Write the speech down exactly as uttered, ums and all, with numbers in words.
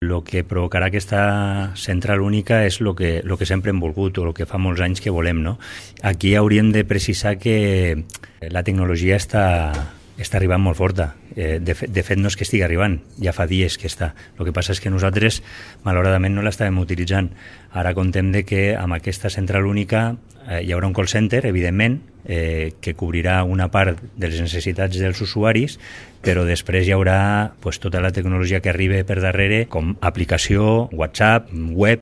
El que provocarà aquesta central única és el que, lo que sempre hem volgut o el que fa molts anys que volem, no? Aquí hauríem de precisar que la tecnologia està, està arribant molt forta. Eh, de, fet, de fet, no és que estigui arribant, ja fa dies que està. El que passa és que nosaltres, malauradament, no l'estàvem utilitzant. Ara contem de que amb aquesta central única eh, hi haurà un call center, evidentment, eh, que cobrirà una part de les necessitats dels usuaris, però després hi haurà pues, tota la tecnologia que arriba per darrere, com aplicació, WhatsApp, web,